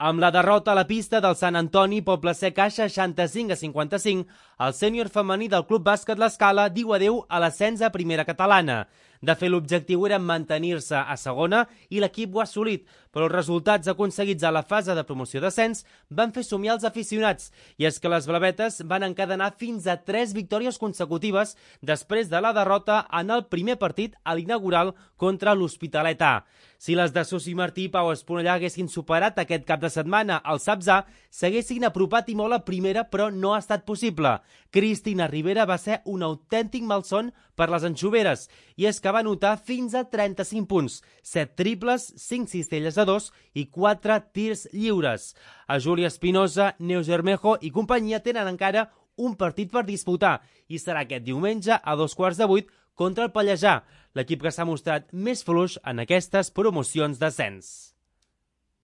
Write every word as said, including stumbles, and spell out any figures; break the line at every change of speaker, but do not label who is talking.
Amb la derrota a la pista del Sant Antoni Poble-Seca seixanta-cinc a cinquanta-cinc, el sènior femení del Club Bàsquet L'Escala diu adeu a l'ascens a primera catalana. De fet, l'objectiu era mantenir-se a segona i l'equip ho ha assolit, però els resultats aconseguits a la fase de promoció d'ascens van fer somiar els aficionats, i és que les blavetes van encadenar fins a tres victòries consecutives després de la derrota en el primer partit a l'inaugural contra l'Hospitalet A. Si les de Susi Martí i Pau Esponellà haguessin superat aquest cap de setmana al Saps A, s'haguessin apropat i molt a primera, però no ha estat possible. Cristina Rivera va ser un autèntic malson per les anxoveres, i és que va anotar fins a trenta-cinc punts, set triples, cinc cistelles de dos i quatre tirs lliures. A Júlia Espinosa, Neus Germejo i companyia tenen encara un partit per disputar, i serà aquest diumenge a dos quarts de vuit contra el Pallejà, l'equip que s'ha mostrat més fluix en aquestes promocions d'ascens.